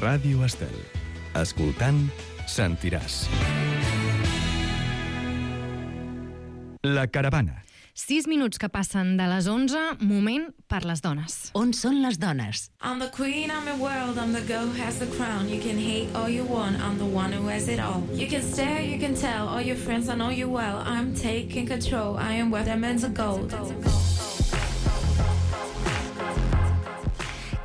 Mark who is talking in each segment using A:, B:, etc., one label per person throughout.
A: Ràdio Estel. Escoltant, sentiràs. La caravana.
B: 6 minuts que passen de les 11, moment per les dones.
C: On són les dones?
D: I'm the queen, I'm your world, I'm the girl who has the crown. You can hate all you want, I'm the one who has it all. You can stare, you can tell, all your friends, I know you well. I'm taking control, I am where they're meant to go.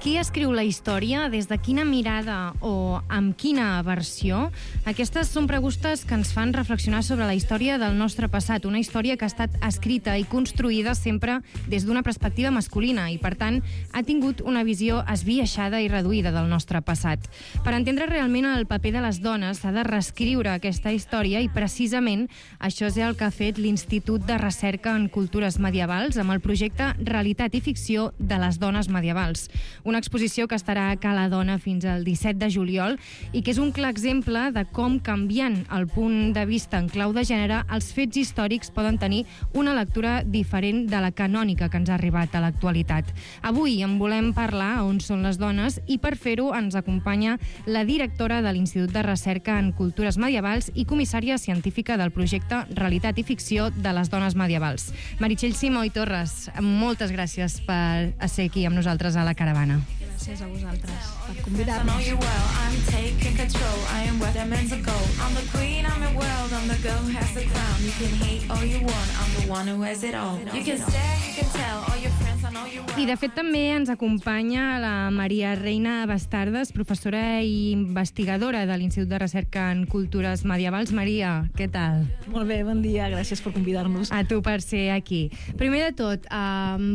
B: Qui escriu la història? Des de quina mirada o amb quina versió? Aquestes són preguntes que ens fan reflexionar sobre la història del nostre passat, una història que ha estat escrita i construïda sempre des d'una perspectiva masculina i, per tant, ha tingut una visió esbiaixada i reduïda del nostre passat. Per entendre realment el paper de les dones s'ha de reescriure aquesta història i, precisament, això és el que ha fet l'Institut de Recerca en Cultures Medievals amb el projecte Realitat i Ficció de les Dones Medievals. Una exposició que estarà a Cala Dona fins al 17 de juliol i que és un clar exemple de com, canviant el punt de vista en clau de gènere, els fets històrics poden tenir una lectura diferent de la canònica que ens ha arribat a l'actualitat. Avui en volem parlar a On són les dones i per fer-ho ens acompanya la directora de l'Institut de Recerca en Cultures Medievals i comissària científica del projecte Realitat i Ficció de les Dones Medievals. Meritxell Simó i Torres, moltes gràcies per ser aquí amb nosaltres a la caravana.
E: Gràcies a vosaltres per convidar-nos.
D: I'm taking control, I am where they're meant to go. I'm the queen, I'm your world, I'm the girl who has the crown. You can hate all you want, I'm the one who has it all. You can stare, you can tell, all your friends, I know you well.
B: I de fet també ens acompanya la Maria Reina Bastardes, professora i investigadora de l'Institut de Recerca en Cultures Medievals. Maria, què tal?
E: Molt bé, bon dia, gràcies per convidar-nos.
B: A tu per ser aquí. Primer de tot,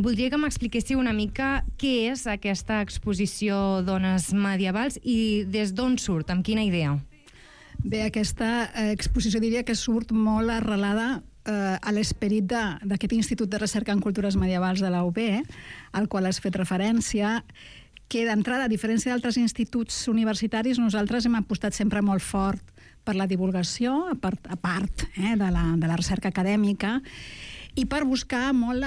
B: voldria que m'expliquéssiu una mica què és aquesta exposició Dones Medievals i des d'on surt, amb quina idea?
E: Bé, aquesta exposició diria que surt molt arrelada a l'esperit d'aquest Institut de Recerca en Cultures Medievals de la UB, al qual has fet referència, que d'entrada, a diferència d'altres instituts universitaris, nosaltres hem apostat sempre molt fort per la divulgació, a part de la recerca acadèmica, i per buscar molt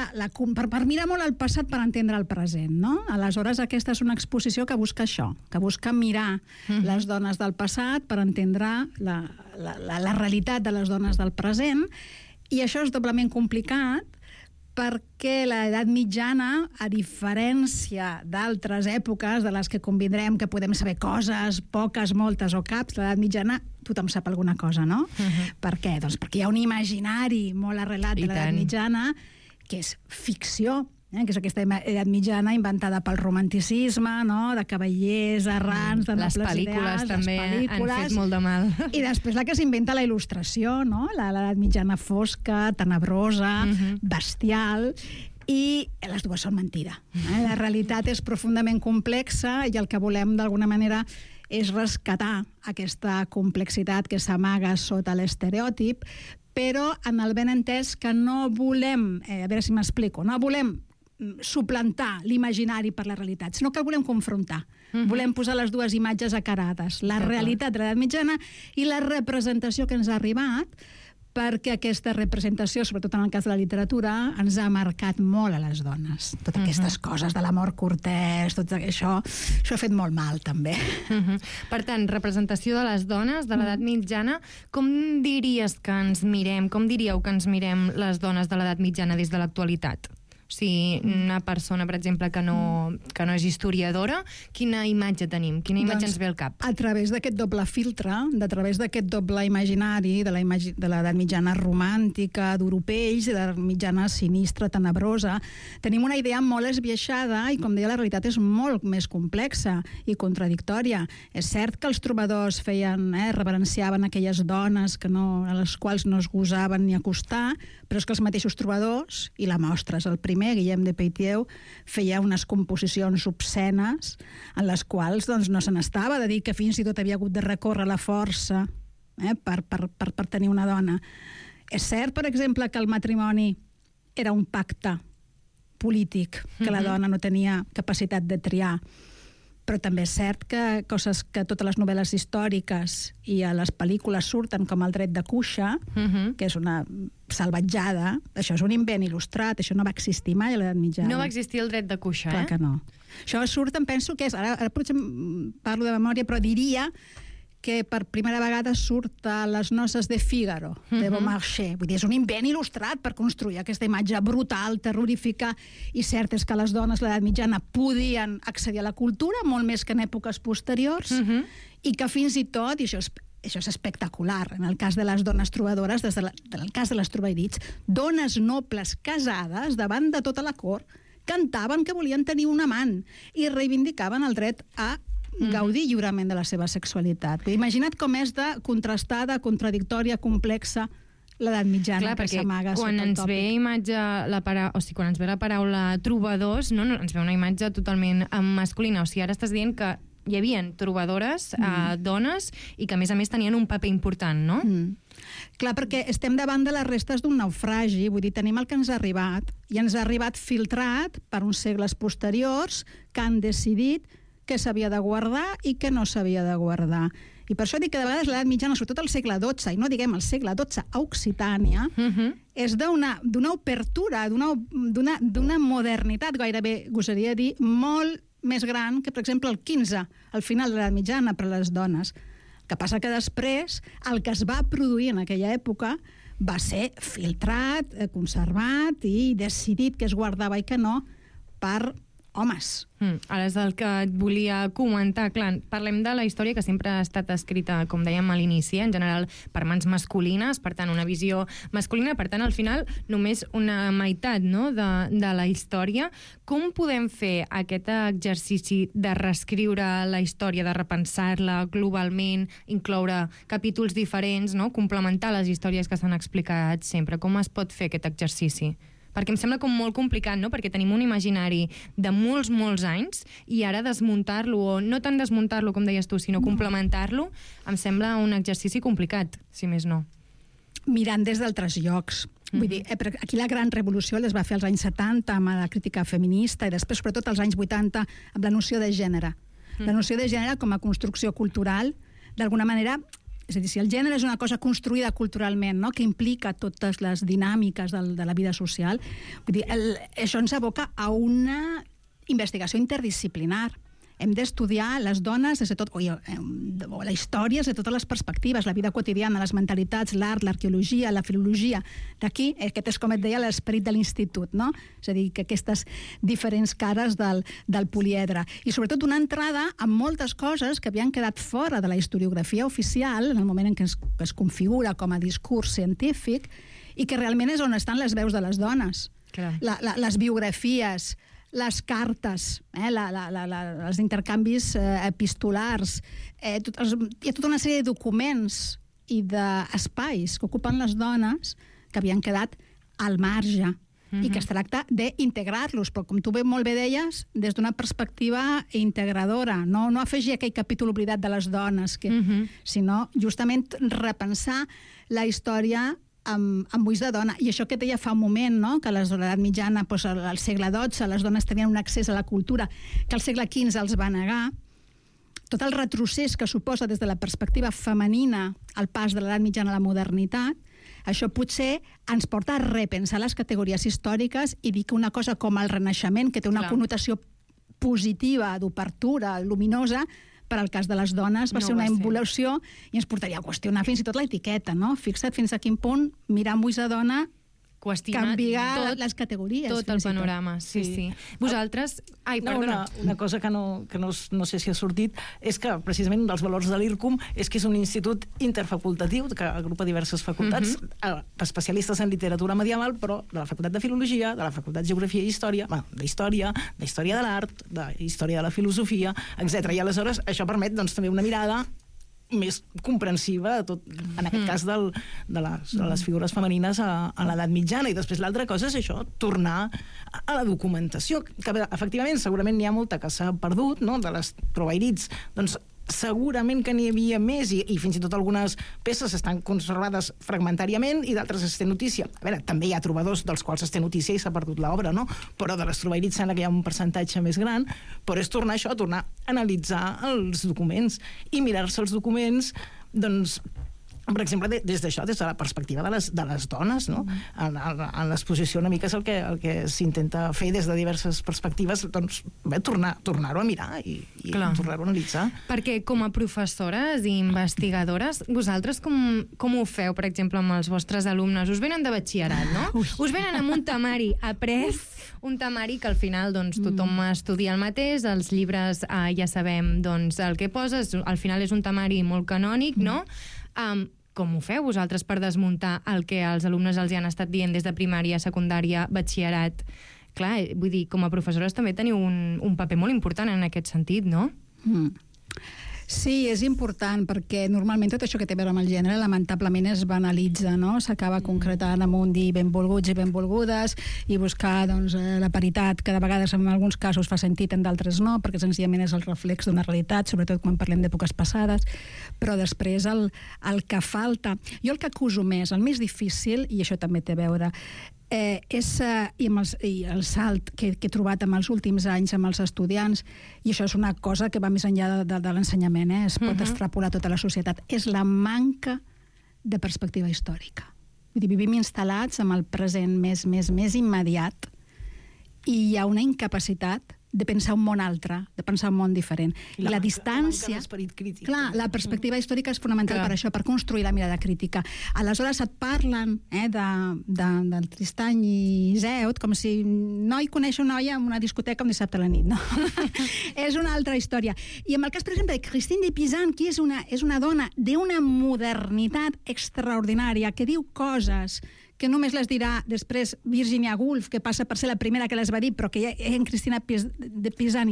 E: per mirar molt el passat per entendre el present, no? Aleshores, aquesta és una exposició que busca això, que busca mirar les dones del passat per entendre la realitat de les dones del present, i això és doblement complicat perquè l'edat mitjana, a diferència d'altres èpoques de les que convindrem que podem saber coses, poques, moltes o caps, l'edat mitjana tothom sap alguna cosa, no? Per què? Doncs perquè hi ha un imaginari molt arrelat de l'edat mitjana que és ficció, que és aquesta edat mitjana inventada pel romanticisme, no? De cavallers errants, de nobles ideals.
B: Les pel·lícules també han fet molt de mal. I
E: després la que s'inventa la il·lustració, no? L'edat mitjana fosca, tenebrosa, bestial, i les dues són mentida. La realitat és profundament complexa i el que volem d'alguna manera és rescatar aquesta complexitat que s'amaga sota l'estereòtip, però en el ben entès que no volem, a veure si m'explico, no volem suplantar l'imaginari per la realitat, sinó que el volem confrontar. Volem posar les dues imatges acarades, la realitat de l'edat mitjana i la representació que ens ha arribat, perquè aquesta representació, sobretot en el cas de la literatura, ens ha marcat molt a les dones. Totes aquestes coses de l'amor cortès, tot això ha fet molt mal, també.
B: Per tant, representació de les dones de l'edat mitjana, com diries que ens mirem, com diríeu que ens mirem les dones de l'edat mitjana des de l'actualitat? O sigui, una persona, per exemple, que no és historiadora, quina imatge tenim? Quina imatge ens ve al cap?
E: A través d'aquest doble filtre, a través d'aquest doble imaginari de l'edat mitjana romàntica, d'europeis, i de l'edat mitjana sinistra, tenebrosa, tenim una idea molt esbiaixada i, com deia, la realitat és molt més complexa i contradictòria. És cert que els trobadors reverenciaven aquelles dones a les quals no es gosaven ni acostar, però és que els mateixos trobadors, i la mostra és el primer, Guillem de Poitiers, feia unes composicions obscenes en les quals no se n'estava de dir que fins i tot havia hagut de recórrer la força per tenir una dona. És cert, per exemple, que el matrimoni era un pacte polític, que la dona no tenia capacitat de triar, però també és cert que coses que totes les novel·les històriques i a les pel·lícules surten, com el dret de cuixa, que és una salvatjada, això és un invent il·lustrat, això no va existir mai a l'edat mitjana.
B: No va existir el dret de cuixa,
E: Clar que no. Això surt, em penso que és... Ara potser parlo de memòria, però diria que per primera vegada surt a Les noces de Fígaro, de Beaumarchais. Vull dir, és un invent il·lustrat per construir aquesta imatge brutal, terrorífica, i cert és que les dones a l'edat mitjana podien accedir a la cultura, molt més que en èpoques posteriors, i que fins i tot, i això és espectacular, en el cas de les dones trobadores, en el cas de les trobairits, dones nobles casades davant de tota la cort, cantaven que volien tenir un amant i reivindicaven el dret a gaudir lliurement de la seva sexualitat. Imagina't com és de contrastada, contradictòria, complexa l'edat mitjana.
B: Clar, perquè quan ens ve quan ens ve la paraula trobadors, no, ens ve una imatge totalment masculina. O sigui, ara estàs dient que hi havia trobadores, dones, i que a més tenien un paper important, no?
E: Clar, perquè estem davant de les restes d'un naufragi, vull dir, tenim el que ens ha arribat, i ens ha arribat filtrat per uns segles posteriors que han decidit què s'havia de guardar i què no s'havia de guardar. I per això dic que de vegades l'edat mitjana, sobretot al segle XII, i no diguem el segle XII a Occitània, és d'una obertura, d'una modernitat, gairebé gosaria dir, molt més gran que, per exemple, el XV, al final de l'edat mitjana per a les dones. El que passa que després el que es va produir en aquella època va ser filtrat, conservat i decidit que es guardava i que no per homes.
B: Ara és el que et volia comentar. Clar, parlem de la història que sempre ha estat escrita, com dèiem a l'inici, en general per mans masculines, per tant, una visió masculina, per tant, al final, només una meitat, no?, de la història. Com podem fer aquest exercici de reescriure la història, de repensar-la globalment, incloure capítols diferents, no?, complementar les històries que s'han explicat sempre? Com es pot fer aquest exercici? Perquè em sembla com molt complicat, no?, perquè tenim un imaginari de molts, molts anys i ara desmuntar-lo, o no tant desmuntar-lo, com deies tu, sinó complementar-lo, em sembla un exercici complicat, si més no.
E: Mirant des d'altres llocs. Vull dir, aquí la gran revolució les va fer als anys 70 amb la crítica feminista i després, sobretot, als anys 80 amb la noció de gènere. La noció de gènere com a construcció cultural, d'alguna manera... És a dir, si el gènere és una cosa construïda culturalment, no?, que implica totes les dinàmiques de la vida social, vull dir, això ens aboca a una investigació interdisciplinar. Hem d'estudiar les dones des de tot, o la història des de totes les perspectives, la vida quotidiana, les mentalitats, l'art, l'arqueologia, la filologia. D'aquí, aquest és, com et deia, l'esperit de l'institut, no? És a dir, que aquestes diferents cares del poliedre. I sobretot una entrada a moltes coses que havien quedat fora de la historiografia oficial en el moment en què es configura com a discurs científic i que realment és on estan les veus de les dones. Les biografies, les cartes, els intercanvis epistolars, hi ha tota una sèrie de documents i d'espais que ocupen les dones que havien quedat al marge i que es tracta d'integrar-los, però com tu molt bé deies, des d'una perspectiva integradora, no afegir aquell capítol oblidat de les dones, sinó justament repensar la història amb ulls de dona. I això que deia fa un moment, no?, que a l'edat mitjana, al segle XII, les dones tenien un accés a la cultura que al segle XV els va negar. Tot el retrocés que suposa des de la perspectiva femenina el pas de l'edat mitjana a la modernitat, això potser ens porta a repensar les categories històriques i dir que una cosa com el Renaixement, que té una connotació positiva, d'obertura, luminosa, per al cas de les dones va ser una involució i ens portaria a qüestionar fins i tot l'etiqueta, no? Fixa't fins a quin punt mirar amb ulls de dona canviar les categories.
B: Tot el panorama, sí. Vosaltres... Ai, perdona.
C: Una cosa que no sé si ha sortit és que precisament un dels valors de l'IRCUM és que és un institut interfacultatiu que agrupa diverses facultats, especialistes en literatura medieval, però de la facultat de Filologia, de la facultat de Geografia i Història, d'Història de l'Art, d'Història de la Filosofia, etc. I aleshores això permet també una mirada més comprensiva, en aquest cas de les figures femenines a l'edat mitjana. I després l'altra cosa és això, tornar a la documentació, que efectivament segurament n'hi ha molta que s'ha perdut, no?, de les trobairits, doncs segurament que n'hi havia més i fins i tot algunes peces estan conservades fragmentàriament i d'altres es té notícia. A veure, també hi ha trobadors dels quals es té notícia i s'ha perdut l'obra, no? Però de les trobairits sembla que hi ha un percentatge més gran, però és tornar a analitzar els documents i mirar-se els documents, doncs, per exemple, des d'això, des de la perspectiva de les dones, no? En l'exposició una mica és el que s'intenta fer des de diverses perspectives, doncs tornar-ho a mirar i tornar-ho a analitzar.
B: Perquè com a professores i investigadores, vosaltres com ho feu, per exemple, amb els vostres alumnes? Us venen de batxillerat, no? Us venen amb un temari après, un temari que al final doncs, tothom estudia el mateix, els llibres ja sabem doncs, el que poses, al final és un temari molt canònic, no? Com ho feu vosaltres per desmuntar el que els alumnes els hi han estat dient des de primària, secundària, batxillerat? Clar, vull dir, com a professores també teniu un paper molt important en aquest sentit, no?
E: Sí, és important, perquè normalment tot això que té a veure amb el gènere lamentablement es banalitza, no? S'acaba concretant amb un dir benvolguts i benvolgudes i buscar doncs, la paritat, que de vegades en alguns casos fa sentit, en d'altres no, perquè senzillament és el reflex d'una realitat, sobretot quan parlem d'èpoques passades, però després el que falta... Jo el que acuso més, el més difícil, i això també té a veure, i el salt que he trobat en els últims anys amb els estudiants, i això és una cosa que va més enllà de l'ensenyament, es pot extrapolar tota la societat, és la manca de perspectiva històrica. Vull dir, vivim instal·lats amb el present més immediat i hi ha una incapacitat de pensar un món altre, de pensar un món diferent. I la distància...
C: Crític,
E: clar, la perspectiva històrica és fonamental per això, per construir la mirada crítica. Aleshores et parlen del Tristany i Iseut com si noi coneix una noia en una discoteca un dissabte a la nit, no? És una altra història. I en el cas, per exemple, de Christine de Pizan, que és una dona d'una modernitat extraordinària, que diu coses que només les dirà després Virginia Woolf, que passa per ser la primera que les va dir, però que en Cristina de Pizan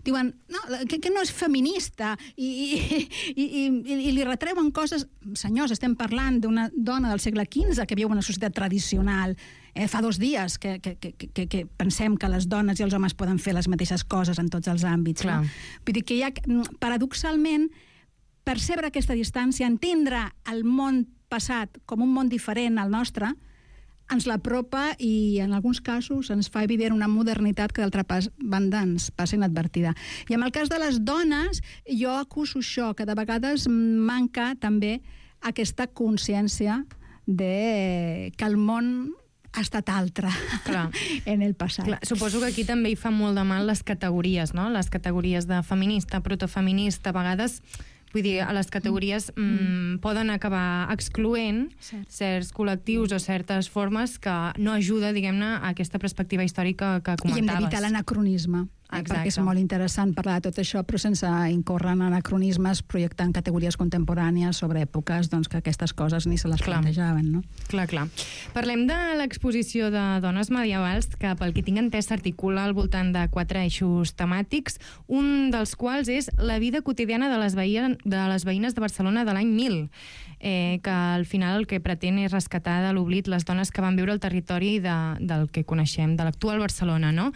E: diuen que no és feminista i li retreuen coses. Senyors, estem parlant d'una dona del segle XV que viu en una societat tradicional. Fa 2 dies que pensem que les dones i els homes poden fer les mateixes coses en tots els àmbits. No? Vull dir que hi ha, paradoxalment, percebre aquesta distància, entendre el món passat com un món diferent al nostre, ens l'apropa i en alguns casos ens fa evident una modernitat que d'altra banda ens passa inadvertida. I en el cas de les dones, jo acuso això, que de vegades manca també aquesta consciència de que el món ha estat altre en el passat.
B: Clar, suposo que aquí també hi fa molt de mal les categories, no? Les categories de feminista, protofeminista, a vegades... Vull dir, a les categories poden acabar excloent certs col·lectius o certes formes que no ajuda, diguem-ne, a aquesta perspectiva històrica que comentaves.
E: I hem d'evitar l'anacronisme, perquè és molt interessant parlar de tot això, però sense incórrer en anacronismes, projectant categories contemporànies sobre èpoques doncs, que aquestes coses ni se les plantejaven. No?
B: Clar. Parlem de l'exposició de dones medievals, que pel que tinc entès s'articula al voltant de 4 eixos temàtics, un dels quals és la vida quotidiana de les veïnes de Barcelona de l'any 1000, que al final el que pretén és rescatar de l'oblit les dones que van viure al territori del que coneixem, de l'actual Barcelona, no?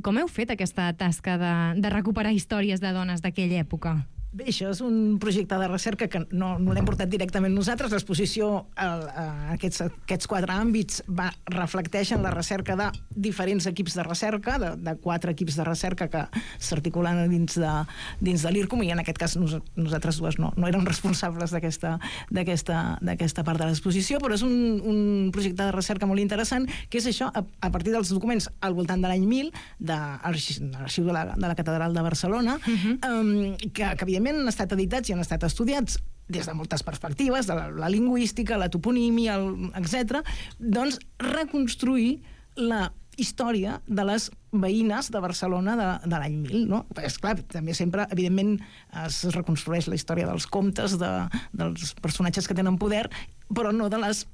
B: Com heu fet aquesta tasca de recuperar històries de dones d'aquella època?
C: Bé, això és un projecte de recerca que no l'hem portat directament nosaltres. L'exposició, aquests 4 àmbits reflecteixen la recerca de diferents equips de recerca, de 4 equips de recerca que s'articulen dins de l'IRCOM, i en aquest cas nosaltres dues no érem responsables d'aquesta part de l'exposició, però és un projecte de recerca molt interessant, que és això, a partir dels documents al voltant de l'any 1000 de l'arxiu de la Catedral de Barcelona, que evidentment han estat editats i han estat estudiats des de moltes perspectives, de la lingüística, la toponímia, etc., doncs reconstruir la història de les veïnes de Barcelona de l'any 1000, no? És clar, també sempre, evidentment, es reconstrueix la història dels comtes, dels personatges que tenen poder, però no de les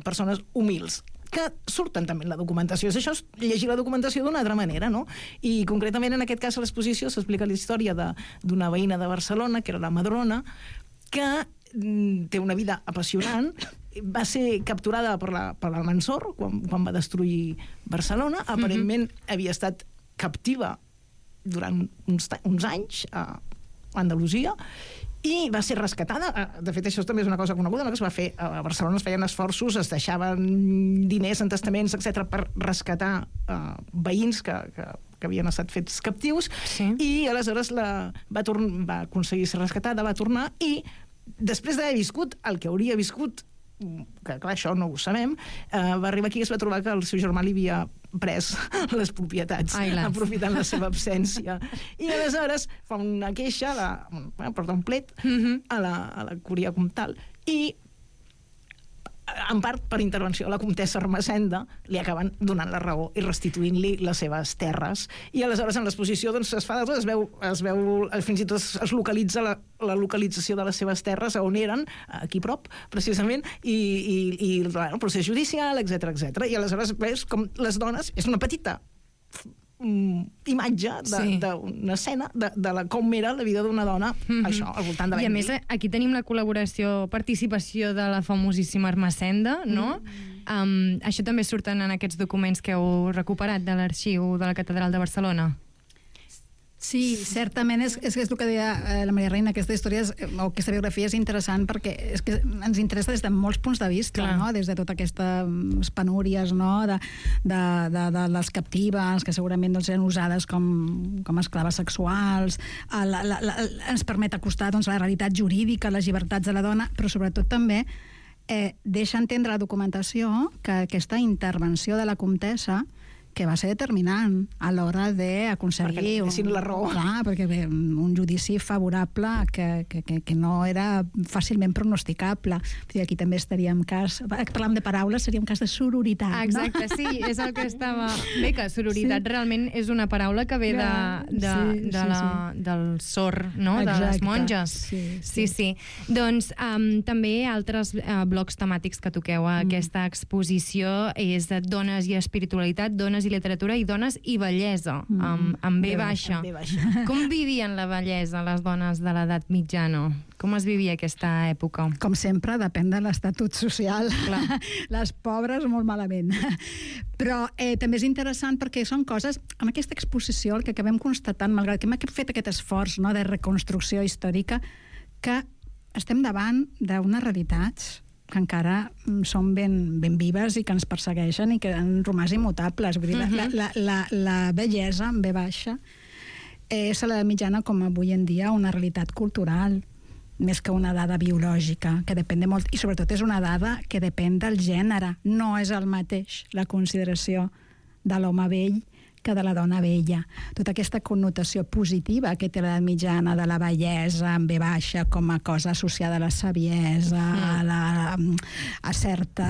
C: persones humils, que surten també en la documentació. Això és llegir la documentació d'una altra manera, no? I concretament en aquest cas a l'exposició s'explica la història d'una veïna de Barcelona, que era la Madrona, que té una vida apassionant, va ser capturada per l'Almansor quan va destruir Barcelona, aparentment havia estat captiva durant uns anys a Andalusia, i va ser rescatada. De fet, això també és una cosa coneguda, no? Que es va fer a Barcelona, es feien esforços, es deixaven diners en testaments, etc., per rescatar veïns que havien estat fets captius, i aleshores va aconseguir ser rescatada, va tornar, i després d'haver viscut el que hauria viscut, que clar, això no ho sabem, va arribar aquí i es va trobar que el seu germà li havia pres les propietats, aprofitant la seva absència. I aleshores fa una queixa, porta un plet a la curia comtal. I en part per intervenció de la comtessa Ermessenda li acaben donant la raó i restituint-li les seves terres. I aleshores en l'exposició doncs, es fa de tot, es veu fins i tot es localitza la localització de les seves terres on eren, aquí prop precisament, i el procés judicial, etc. I aleshores veus com les dones, és una petita imatge d'una escena de com era la vida d'una dona, això, al voltant de l'any.
B: I a més, aquí tenim la participació de la famosíssima Ermessenda, no? Això també surten en aquests documents que heu recuperat de l'arxiu de la Catedral de Barcelona.
E: Sí, certament és el que deia la Maria Reina, aquesta història o aquesta biografia és interessant perquè és que ens interessa des de molts punts de vista, no? Des de totes aquestes penúries, no? de les captives que segurament doncs, eren usades com esclaves sexuals, ens permet acostar doncs, la realitat jurídica, les llibertats de la dona, però sobretot també deixa entendre la documentació que aquesta intervenció de la comtessa que va ser determinant a l'hora d'aconseguir...
C: Perquè la raó.
E: Clar, perquè un judici favorable que no era fàcilment pronosticable. Aquí també estaríem parlàvem de paraules, seria un cas de sororitat, no?
B: Exacte, sí, és el que estava... Bé, que sororitat realment és una paraula que ve del sor, no? De les monges. Sí. Doncs també altres blocs temàtics que toqueu a aquesta exposició és dones i espiritualitat, dones i literatura i dones i bellesa, amb B baixa. Com vivien la bellesa les dones de l'edat mitjana? Com es vivia aquesta època?
E: Com sempre, depèn de l'estatut social. Les pobres molt malament. Però també és interessant perquè són coses, en aquesta exposició, el que acabem constatant, malgrat que hem fet aquest esforç de reconstrucció històrica, que estem davant d'unes realitats que encara són ben vives i que ens persegueixen i que han romàs immutables. Vull dir, la bellesa, en B baixa, és a la mitjana com avui en dia una realitat cultural, més que una dada biològica, que depèn de molt... I sobretot és una dada que depèn del gènere. No és el mateix la consideració de l'home vell que de la dona vella. Tota aquesta connotació positiva que té l'edat mitjana de la bellesa en B baixa com a cosa associada a la saviesa, a cert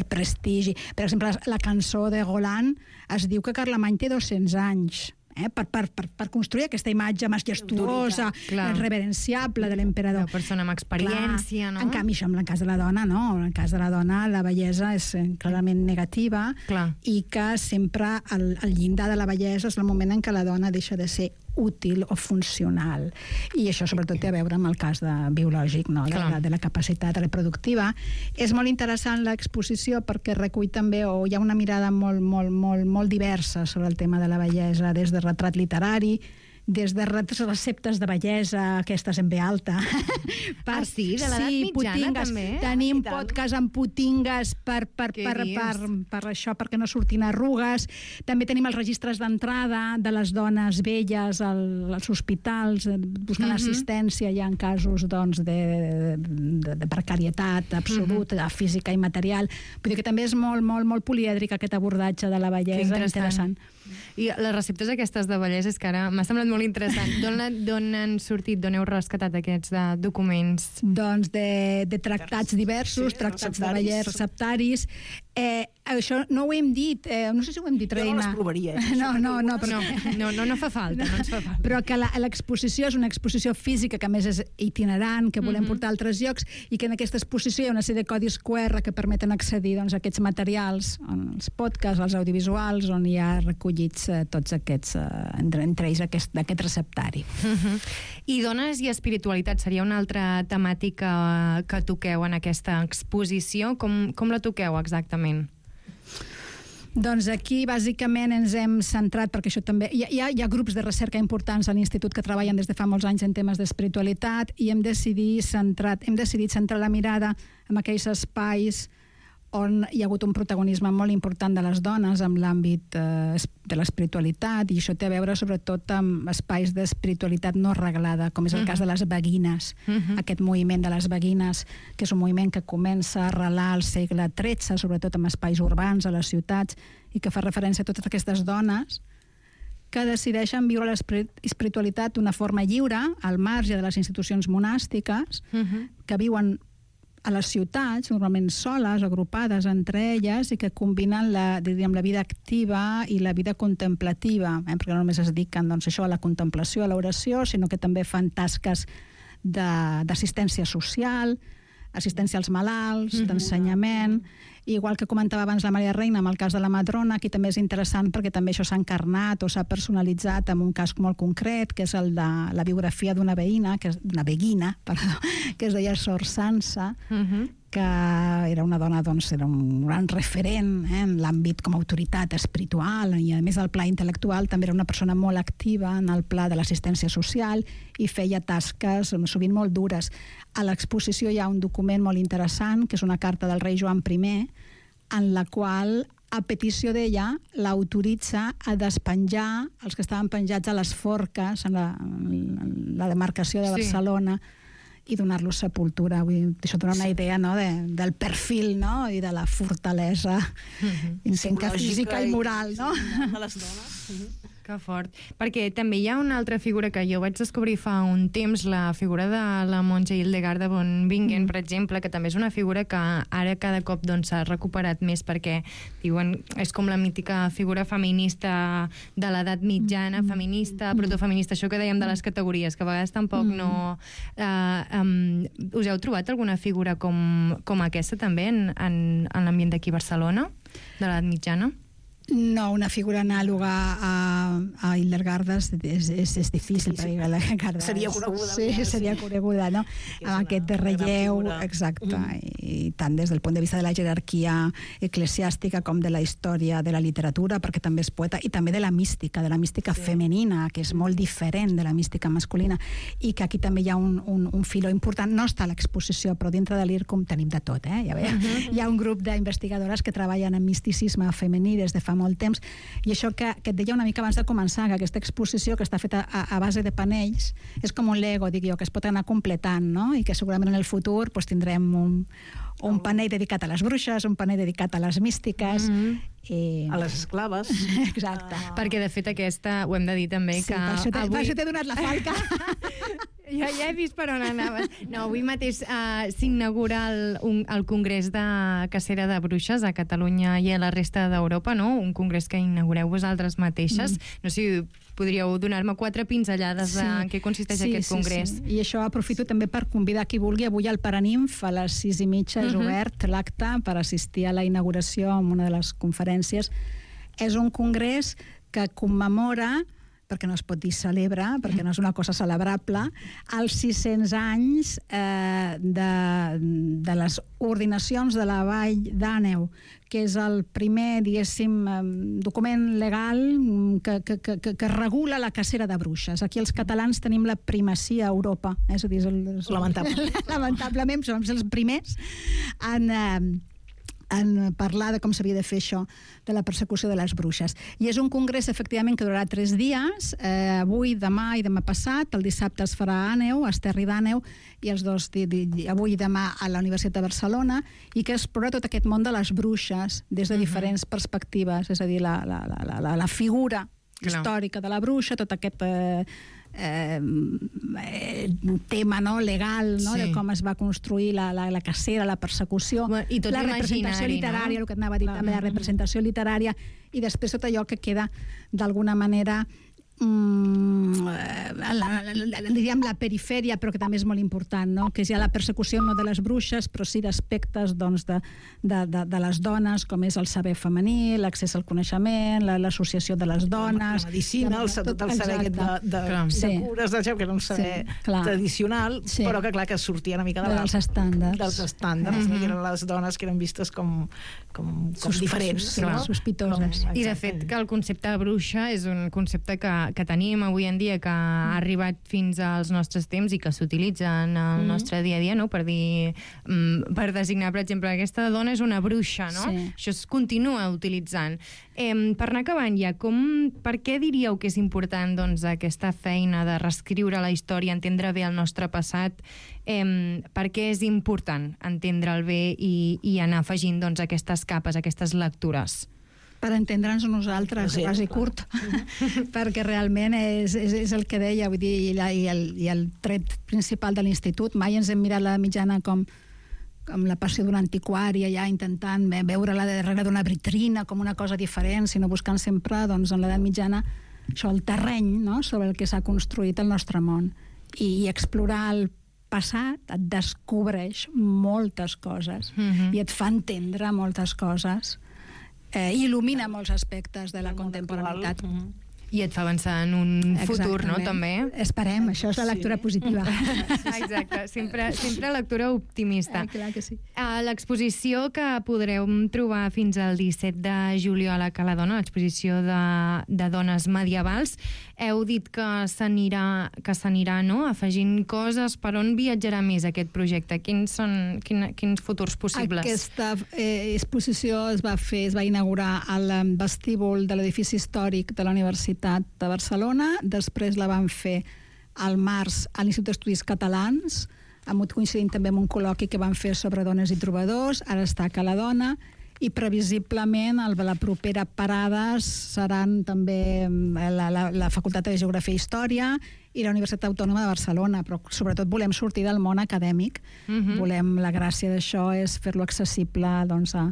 E: prestigi. Per exemple, la cançó de Roland es diu que Carlemany té 200 anys. Per construir aquesta imatge majestuosa, reverenciable de l'emperador.
B: Una persona amb experiència, no?
E: En canvi, això en el cas de la dona, no. En el cas de la dona, la bellesa és clarament negativa i que sempre el llindar de la bellesa és el moment en què la dona deixa de ser útil o funcional. I això sobretot té a veure amb el cas biològic, no? de la capacitat reproductiva. És molt interessant l'exposició perquè recull també, o hi ha una mirada molt diversa sobre el tema de la bellesa, des de retrat literari, des de receptes de bellesa, aquestes en B alta.
B: Sí, de l'edat mitjana també.
E: Tenim podcast amb putingues per això, perquè no surtin arrugues. També tenim els registres d'entrada de les dones velles als hospitals, buscant assistència ja en casos de precarietat absoluta, física i material. Vull dir que també és molt polièdric aquest abordatge de la bellesa, interessant.
B: I les receptes aquestes de bellesa és que ara m'ha semblat molt interessant. D'on han sortit, d'on heu rescatat aquests documents?
E: Doncs de tractats diversos, tractats de bellesa, receptaris. Això no ho hem dit, no sé si ho hem dit, Reina.
C: Jo no les provaria.
B: No fa falta, no ens fa falta.
E: Però que l'exposició és una exposició física, que a més és itinerant, que volem portar a altres llocs, i que en aquesta exposició hi ha una sèrie de codis QR que permeten accedir a aquests materials, els podcasts, els audiovisuals, on hi ha recollits tots aquests, entre ells aquest receptari.
B: I dones i espiritualitat seria una altra temàtica que toqueu en aquesta exposició. Com la toqueu exactament?
E: Doncs aquí bàsicament ens hem centrat, perquè això també... Hi ha grups de recerca importants a l'Institut que treballen des de fa molts anys en temes d'espiritualitat i hem decidit centrar la mirada en aquells espais on hi ha hagut un protagonisme molt important de les dones en l'àmbit de l'espiritualitat, i això té a veure sobretot amb espais d'espiritualitat no reglada, com és el cas de les beguines. Aquest moviment de les beguines, que és un moviment que comença a arrelar al segle XIII, sobretot en espais urbans, a les ciutats, i que fa referència a totes aquestes dones que decideixen viure l'espiritualitat d'una forma lliure, al marge de les institucions monàstiques, que viuen a les ciutats, normalment soles, agrupades entre elles, i que combinen la vida activa i la vida contemplativa, perquè no només es dediquen a la contemplació, a l'oració, sinó que també fan tasques d'assistència social, assistència als malalts, d'ensenyament. Igual que comentava abans la Maria Reina amb el cas de la Madrona, aquí també és interessant perquè també això s'ha encarnat o s'ha personalitzat en un cas molt concret, que és el de la biografia d'una beguina, que es deia Sor Sansa, que era una dona, era un gran referent en l'àmbit com a autoritat espiritual, i a més al pla intel·lectual també era una persona molt activa en el pla de l'assistència social i feia tasques sovint molt dures. A l'exposició hi ha un document molt interessant, que és una carta del rei Joan I, en la qual, a petició d'ella, l'autoritza a despenjar els que estaven penjats a les forques en la demarcació de Barcelona, i donar-los sepultura. Això dona una idea del perfil i de la fortalesa física i moral
C: de les dones.
B: Que fort. Perquè també hi ha una altra figura que jo vaig descobrir fa un temps, la figura de la monja Hildegarda von Bingen, per exemple, que també és una figura que ara cada cop s'ha recuperat més, perquè diuen és com la mítica figura feminista de l'edat mitjana, feminista, protofeminista, això que dèiem de les categories, que a vegades tampoc no... Us heu trobat alguna figura com aquesta també en l'ambient d'aquí a Barcelona, de l'edat mitjana?
E: No, una figura anàloga a Hildegarda és difícil, perquè Hildegarda
C: seria coneguda.
E: Sí, seria coneguda, no? Amb aquest de relleu, exacte, i tant des del punt de vista de la jerarquia eclesiàstica com de la història de la literatura, perquè també és poeta, i també de la mística femenina, que és molt diferent de la mística masculina, i que aquí també hi ha un filó important. No està a l'exposició, però dintre de l'IRCUM tenim de tot, ja veieu? Hi ha un grup d'investigadores que treballen en misticisme femení des de fa molt temps, i això que et deia una mica abans de començar, que aquesta exposició que està feta a base de panells és com un Lego, dic jo, que es pot anar completant, no? I que segurament en el futur tindrem un panell dedicat a les bruixes, un panell dedicat a les místiques,
C: a les esclaves.
E: Exacte.
B: Perquè de fet aquesta, ho hem de dir també, que
E: per això t'he donat la falca.
B: Jo ja he vist per on anaves. No, avui mateix s'inaugura el Congrés de Cacera de Bruixes a Catalunya i a la resta d'Europa, no? Un congrés que inaugureu vosaltres mateixes. No sé si podríeu donar-me 4 pinzellades de en què consisteix aquest congrés.
E: Sí. I això aprofito també per convidar qui vulgui. Avui al Paraninf a les 6:30 és obert l'acte per assistir a la inauguració en una de les conferències. És un congrés que commemora, perquè no es pot dir celebra, perquè no és una cosa celebrable, els 600 anys de les ordinacions de la Vall d'Àneu, que és el primer, diguéssim, document legal que regula la cacera de bruixes. Aquí els catalans tenim la primacia a Europa. És a dir, lamentablement som els primers en parlar de com s'havia de fer això, de la persecució de les bruixes. I és un congrés, efectivament, que durarà 3 dies, avui, demà i demà passat. El dissabte es farà a Àneu, a Esterri d'Àneu, i els dos, avui i demà, a la Universitat de Barcelona, i que explora tot aquest món de les bruixes des de diferents perspectives, és a dir, la figura històrica de la bruixa, tot aquest tema legal, de com es va construir la cacera, la persecució,
B: la
E: representació literària, el que anava a dir també, la representació literària, i després tot allò que queda d'alguna manera diríem la perifèria, però que també és molt important, no? Que és ja la persecució no de les bruixes, però sí d'aspectes de les dones, com és el saber femení, l'accés al coneixement, l'associació de les dones,
C: la medicina, tot el saber de cures, que era un saber tradicional, però que clar que sortia una mica
E: dels estàndards,
C: que eren les dones que eren vistes com diferents,
E: sospitoses.
B: I de fet que el concepte de bruixa és un concepte que tenim avui en dia, que ha arribat fins als nostres temps i que s'utilitza en el nostre dia a dia, no? Per dir, per designar, per exemple, aquesta dona és una bruixa, no?
E: Sí.
B: Això es continua utilitzant. Per anar acabant ja, per què diríeu que és important doncs, aquesta feina de reescriure la història, entendre bé el nostre passat? Per què és important entendre'l bé i anar afegint doncs, aquestes capes, aquestes lectures?
E: Per entendre'ns nosaltres, ras i curt, perquè realment és el que deia, vull dir, i el tret principal de l'institut. Mai ens hem mirat la mitjana com la passió d'un antiquari, allà intentant veure-la darrere d'una vitrina com una cosa diferent, sinó buscant sempre, doncs, en l'edat mitjana, això, el terreny, no?, sobre el que s'ha construït el nostre món. I explorar el passat et descobreix moltes coses i et fa entendre moltes coses. Il·lumina molts aspectes de la contemporaneitat.
B: I et fa avançar en un futur, no?, també.
E: Esperem, això és la lectura positiva.
B: Exacte, sempre lectura optimista.
E: Clar que sí.
B: L'exposició que podreu trobar fins al 17 de juliol a Cala Dona, l'exposició de dones medievals, heu dit que s'anirà, no?, afegint coses. Per on viatjarà més aquest projecte? Quins futurs possibles?
E: Aquesta exposició es va inaugurar al vestíbul de l'edifici històric de la Universitat de Barcelona, després la van fer al març a l'Institut d'Estudis Catalans, coincidint també amb un col·loqui que van fer sobre dones i trobadors, ara està a Cala Dona, i previsiblement la propera parada seran també la Facultat de Geografia i Història i la Universitat Autònoma de Barcelona, però sobretot volem sortir del món acadèmic. La gràcia d'això és fer-lo accessible, doncs, a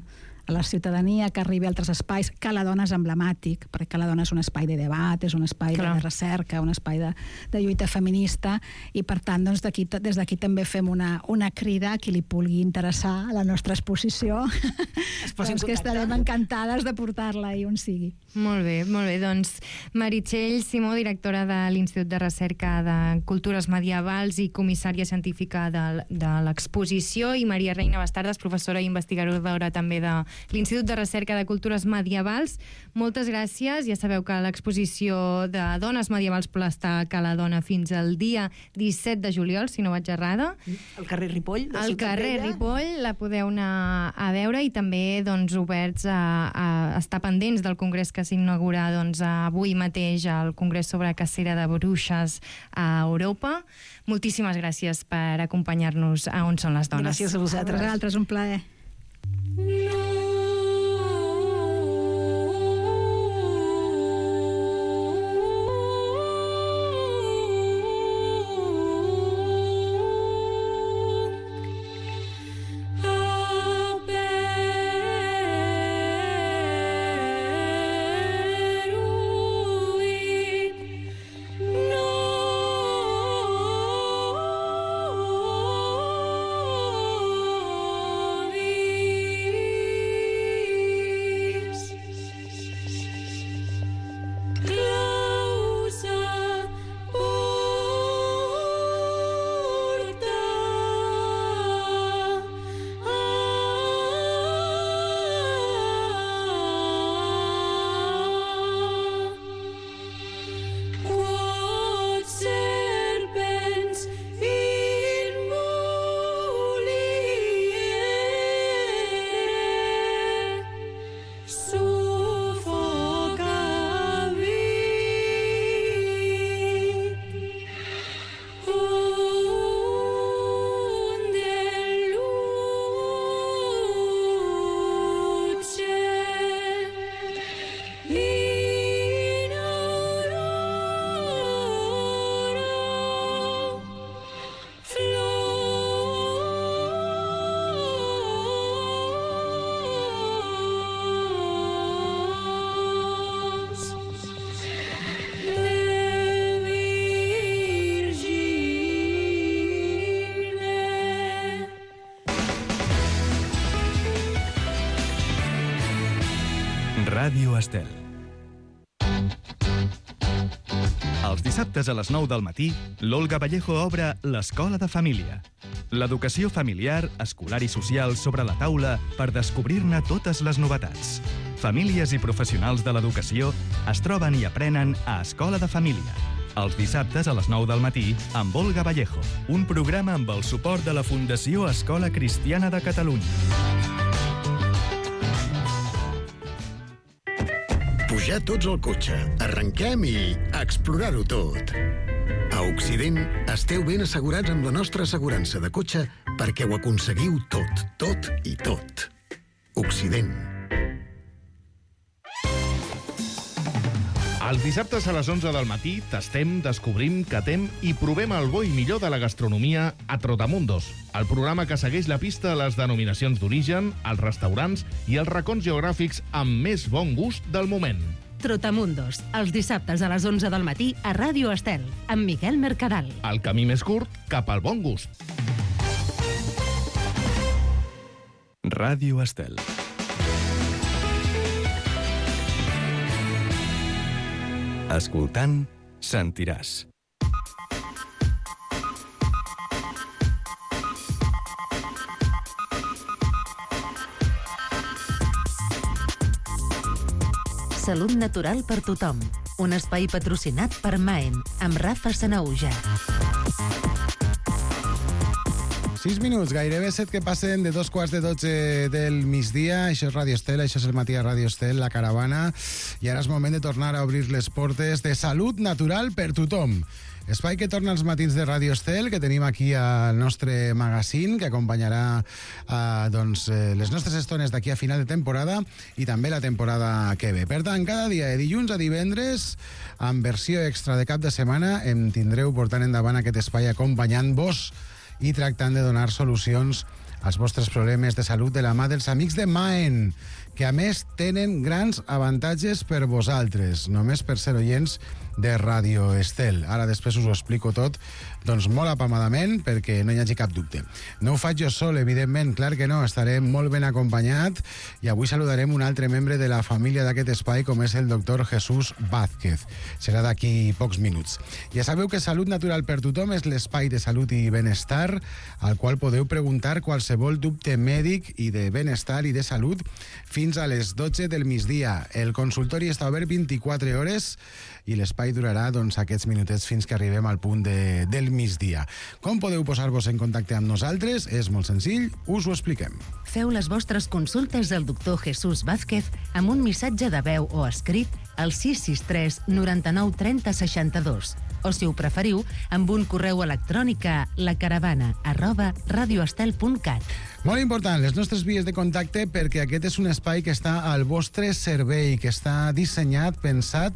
E: la ciutadania, que arribi a altres espais. Cala Dona és emblemàtic, perquè Cala Dona és un espai de debat, és un espai de recerca, un espai de lluita feminista, i per tant, doncs, des d'aquí també fem una crida a qui li pugui interessar a la nostra exposició, doncs que estarem encantades de portar-la i on sigui.
B: Molt bé. Doncs Meritxell Simó, directora de l'Institut de Recerca de Cultures Medievals i comissària científica de l'exposició, i Maria Reina Bastardas, professora i investigadora també de l'Institut de Recerca de Cultures Medievals. Moltes gràcies. Ja sabeu que l'exposició de dones medievals està a Cala Dona fins al dia 17 de juliol, si no vaig errada.
C: Al carrer Ripoll.
B: Al carrer Ripoll la podeu anar a veure, i també doncs, oberts a estar pendents del congrés que s'inaugura avui mateix, al Congrés sobre Cacera de Bruixes a Europa. Moltíssimes gràcies per acompanyar-nos a On són les dones.
C: Gràcies a vosaltres.
E: A vosaltres, un plaer.
A: Ràdio Estel. Els dissabtes a les 9 del matí, l'Olga Vallejo obre l'Escola de Família. L'educació familiar, escolar i social sobre la taula per descobrir-ne totes les novetats. Famílies i professionals de l'educació es troben i aprenen a Escola de Família. Els dissabtes a les 9 del matí amb Olga Vallejo, un programa amb el suport de la Fundació Escola Cristiana de Catalunya.
F: Pujar tots al cotxe, arrenquem i explorar-ho tot. A Occident esteu ben assegurats amb la nostra assegurança de cotxe perquè ho aconseguiu tot, tot i tot. Occident.
G: Els dissabtes a les 11 del matí tastem, descobrim, catem i provem el bo i millor de la gastronomia a Trotamundos, el programa que segueix la pista a les denominacions d'origen, els restaurants i els racons geogràfics amb més bon gust del moment.
H: Trotamundos, els dissabtes a les 11 del matí a Ràdio Estel, amb Miquel Mercadal.
G: El camí més curt cap al bon gust.
A: Ràdio Estel. Escoltant, sentiràs.
H: Salut natural per tothom. Un espai patrocinat per Maen, amb Rafa Sanahuja.
I: 6 minuts, gairebé 7 que passen de 2:15 del migdia. Això és Ràdio Estel, això és el matí a Ràdio Estel, la caravana. I ara és moment de tornar a obrir les portes de Salut Natural per tothom. Espai que torna als matins de Ràdio Estel, que tenim aquí al nostre magazine, que acompanyarà les nostres estones d'aquí a final de temporada i també la temporada que ve. Per tant, cada dia, de dilluns a divendres, amb versió extra de cap de setmana, em tindreu portant endavant aquest espai acompanyant-vos i tractant de donar solucions als vostres problemes de salut de la mà dels amics de Maen, que a més tenen grans avantatges per vosaltres, només per ser oients de Ràdio Estel. Ara després us ho explico tot, doncs molt apamadament, perquè no hi hagi cap dubte. No ho faig jo sol, evidentment, clar que no, estaré molt ben acompanyat i avui saludarem un altre membre de la família d'aquest espai, com és el doctor Jesús Vázquez. Serà d'aquí pocs minuts. Ja sabeu que Salut Natural per tothom és l'espai de salut i benestar al qual podeu preguntar qualsevol dubte mèdic i de benestar i de salut fins a les 12 del migdia. El consultori està obert 24 hores i l'espai durarà aquests minutets fins que arribem al punt del migdia. Com podeu posar-vos en contacte amb nosaltres? És molt senzill, us ho expliquem.
H: Feu les vostres consultes al doctor Jesús Vázquez amb un missatge de veu o escrit al 663 99 30 62 o, si ho preferiu, amb un correu electrònic a lacaravana@radioestel.cat.
I: Molt important, les nostres vies de contacte, perquè aquest és un espai que està al vostre servei, que està dissenyat, pensat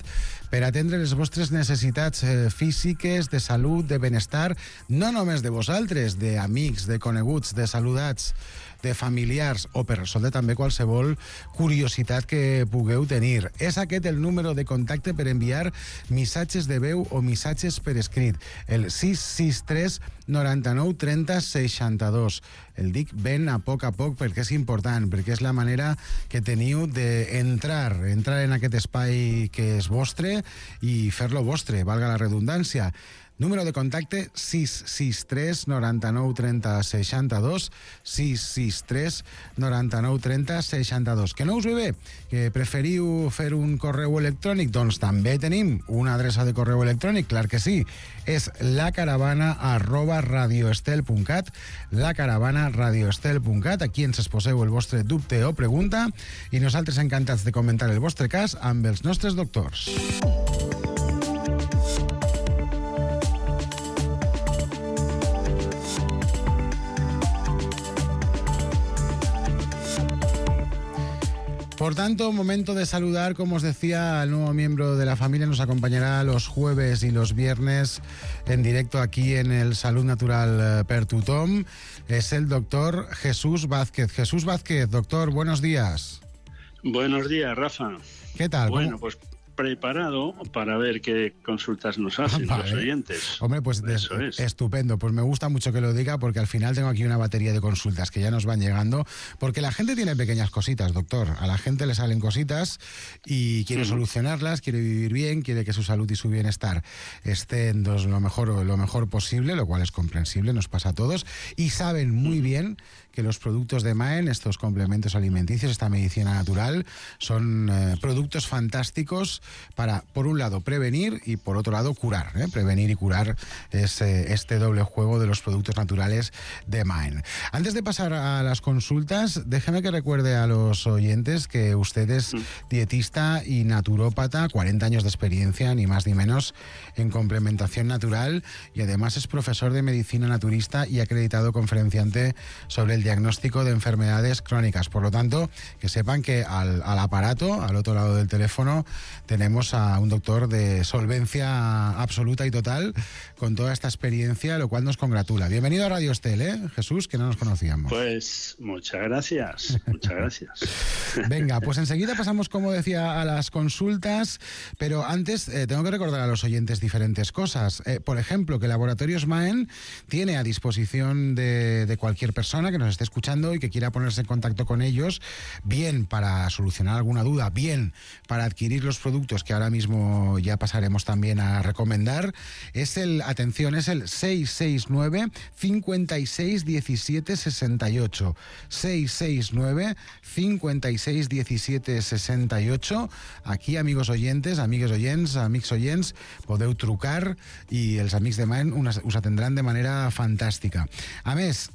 I: per atendre les vostres necessitats físiques, de salut, de benestar, no només de vosaltres, d'amics, de coneguts, de saludats, de familiars, o per resoldre també qualsevol curiositat que pugueu tenir. És aquest el número de contacte per enviar missatges de veu o missatges per escrit, el 663 99 30 62. El dic ben a poc perquè és important, perquè és la manera que teniu d'entrar en aquest espai que és vostre i fer-lo vostre, valga la redundància. Número de contacte 663 99 30 62, 663 99 30 62. Que no us ve bé? Que preferiu fer un correu electrònic? Doncs també tenim una adreça de correu electrònic, clar que sí. És lacaravana@radioestel.cat, lacaravana@radioestel.cat. Aquí ens exposeu el vostre dubte o pregunta i nosaltres encantats de comentar el vostre cas amb els nostres doctors. Por tanto, momento de saludar, como os decía, al nuevo miembro de la familia. Nos acompañará los jueves y los viernes en directo aquí en el Salut Natural per tothom. Es el doctor Jesús Vázquez. Jesús Vázquez, doctor, buenos días.
J: Buenos días, Rafa.
I: ¿Qué tal?
J: Bueno, pues preparado para ver qué consultas nos hacen los oyentes.
I: Hombre, pues estupendo. Pues me gusta mucho que lo diga, porque al final tengo aquí una batería de consultas que ya nos van llegando, porque la gente tiene pequeñas cositas, doctor. A la gente le salen cositas y quiere solucionarlas, quiere vivir bien, quiere que su salud y su bienestar estén lo mejor posible, lo cual es comprensible, nos pasa a todos, y saben muy bien que los productos de Maen, estos complementos alimenticios, esta medicina natural, son productos fantásticos para, por un lado, prevenir y por otro lado, curar. Prevenir y curar es este doble juego de los productos naturales de Maen. Antes de pasar a las consultas, déjeme que recuerde a los oyentes que usted es dietista y naturópata, 40 años de experiencia, ni más ni menos, en complementación natural, y además es profesor de medicina naturista y acreditado conferenciante sobre el diagnóstico de enfermedades crónicas. Por lo tanto, que sepan que al aparato, al otro lado del teléfono, tenemos a un doctor de solvencia absoluta y total, con toda esta experiencia, lo cual nos congratula. Bienvenido a Radio Estel, Jesús, que no nos conocíamos.
J: Pues muchas gracias, muchas gracias.
I: Venga, pues enseguida pasamos, como decía, a las consultas, pero antes tengo que recordar a los oyentes diferentes cosas. Por ejemplo, que Laboratorios Maen tiene a disposición de cualquier persona que nos esté escuchando y que quiera ponerse en contacto con ellos, bien para solucionar alguna duda, bien para adquirir los productos que ahora mismo ya pasaremos también a recomendar. Es el 669 56 17 68. 669 56 17 68. Aquí, amigos oyentes, amics oients, podeu trucar i els amics de Maen us atendran de manera fantàstica. A més,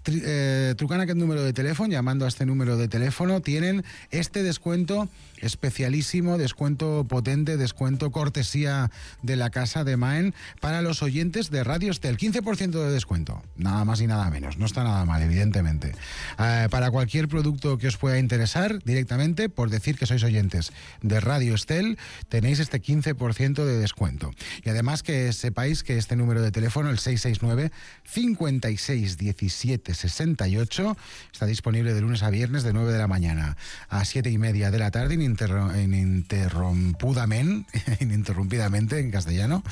I: trucant a aquest número de telèfon, llamando a este número de teléfono, tienen este descuento especialísimo, descuento potente, descuento cortesía de la casa de Maen para los oyentes de Radio Estel. 15% de descuento, nada más y nada menos. No está nada mal, evidentemente. Para cualquier producto que os pueda interesar, directamente, por decir que sois oyentes de Radio Estel, tenéis este 15% de descuento. Y además que sepáis que este número de teléfono, el 669 56 17 68, está disponible de lunes a viernes de 9 de la mañana a 7:30 de la tarde, ininterrumpidamente en castellano,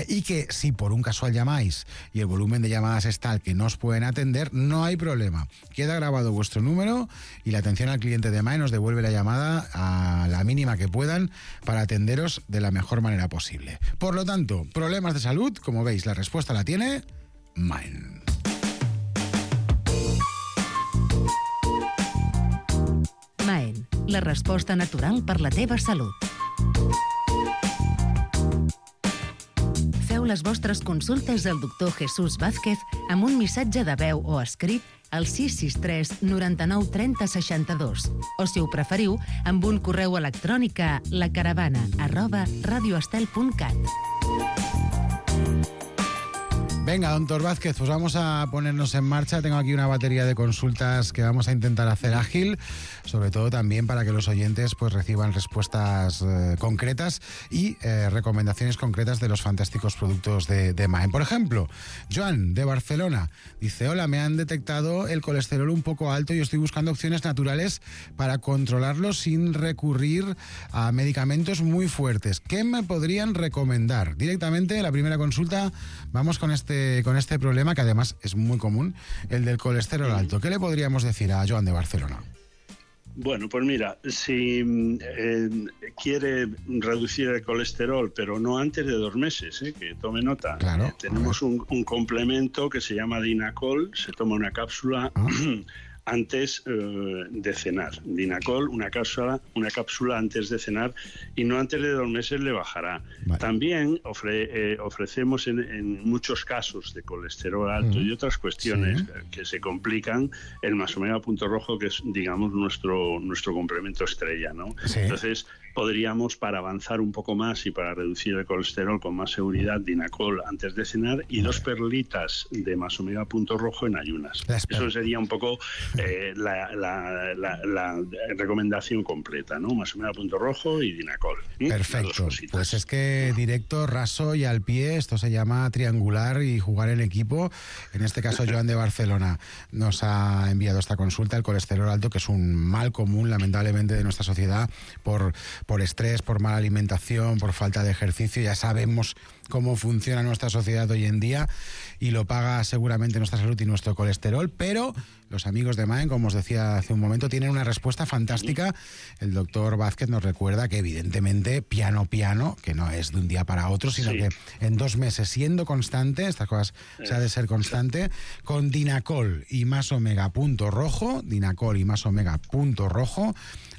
I: y que si por un casual llamáis y el volumen de llamadas es tal que no os pueden atender, no hay problema. Queda grabado vuestro número y la atención al cliente de Maen os devuelve la llamada a la mínima que puedan para atenderos de la mejor manera posible. Por lo tanto, problemas de salud, como veis, la respuesta la tiene Maen.
H: Maen, la resposta natural per la teva salut. Feu les vostres consultes al doctor Jesús Vázquez amb un missatge de veu o escrit al 663 99 30 62, o si ho preferiu, amb un correu electrònic a lacaravana@radioestel.cat.
I: Venga, doctor Vázquez, pues vamos a ponernos en marcha. Tengo aquí una batería de consultas que vamos a intentar hacer ágil, sobre todo también para que los oyentes pues reciban respuestas concretas y recomendaciones concretas de los fantásticos productos de Maen. Por ejemplo, Joan, de Barcelona, dice: hola, me han detectado el colesterol un poco alto y estoy buscando opciones naturales para controlarlo sin recurrir a medicamentos muy fuertes. ¿Qué me podrían recomendar? Directamente, la primera consulta, vamos con este problema, que además es muy común, el del colesterol alto. ¿Qué le podríamos decir a Joan de Barcelona?
J: Bueno, pues mira, si quiere reducir el colesterol, pero no antes de 2 meses, que tome nota.
I: Claro,
J: tenemos un complemento que se llama Dinacol, se toma una cápsula antes de cenar. Dinacol, una cápsula antes de cenar, y no antes de 2 meses le bajará. Vale. También ofrecemos en muchos casos de colesterol alto y otras cuestiones que se complican, el Masomega Punto Rojo, que es, digamos, nuestro complemento estrella, ¿no? Sí. Entonces, podríamos, para avanzar un poco más y para reducir el colesterol con más seguridad, Dinacol antes de cenar y 2 perlitas de Masomega Punto Rojo en ayunas. Eso sería un poco la recomendación completa, ¿no? Masomega Punto Rojo y Dinacol.
I: Perfecto. Pues es que directo, raso y al pie, esto se llama triangular y jugar en equipo. En este caso, Joan de Barcelona nos ha enviado esta consulta, el colesterol alto, que es un mal común, lamentablemente, de nuestra sociedad por estrés, por mala alimentación, por falta de ejercicio. Ya sabemos cómo funciona nuestra sociedad hoy en día y lo paga seguramente nuestra salud y nuestro colesterol, pero los amigos de Maen, como os decía hace un momento, tienen una respuesta fantástica. El doctor Vázquez nos recuerda que evidentemente piano, que no es de un día para otro, sino que en 2 meses, siendo constante, estas cosas se ha de ser constante, con Dinacol y más omega punto rojo,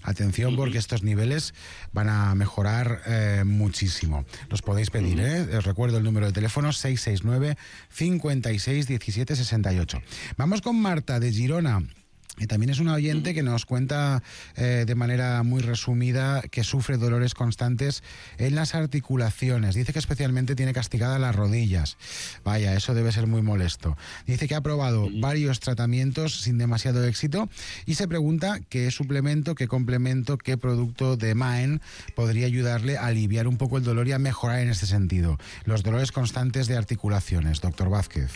I: atención porque estos niveles van a mejorar muchísimo. Los podéis pedir, os recuerdo el número de teléfono 669 56 17 68. Vamos con Marta de Girona, que también es una oyente que nos cuenta de manera muy resumida que sufre dolores constantes en las articulaciones. Dice que especialmente tiene castigadas las rodillas. Vaya, eso debe ser muy molesto. Dice que ha probado varios tratamientos sin demasiado éxito y se pregunta qué suplemento, qué complemento, qué producto de Maen podría ayudarle a aliviar un poco el dolor y a mejorar en este sentido. Los dolores constantes de articulaciones. Doctor Vázquez.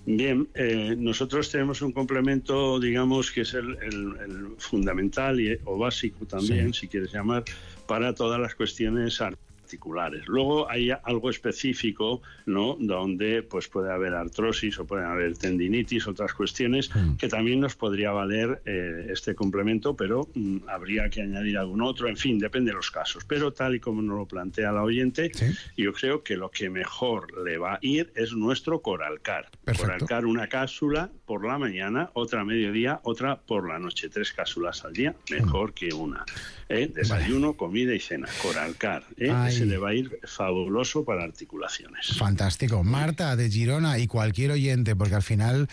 J: Bien, nosotros tenemos un complemento, digamos, que es el fundamental o básico también, si quieres llamar, para todas las cuestiones articulares. Luego hay algo específico, ¿no?, donde pues puede haber artrosis o pueden haber tendinitis, otras cuestiones que también nos podría valer este complemento, pero habría que añadir algún otro, en fin, depende de los casos. Pero tal y como nos lo plantea la oyente, yo creo que lo que mejor le va a ir es nuestro Coralcar. Coralcar, una cápsula por la mañana, otra a mediodía, otra por la noche, 3 cápsulas al día, mejor que una. Desayuno, comida y cena. Coralcar, se le va a ir fabuloso para articulaciones.
I: Fantástico. Marta de Girona y cualquier oyente, porque al final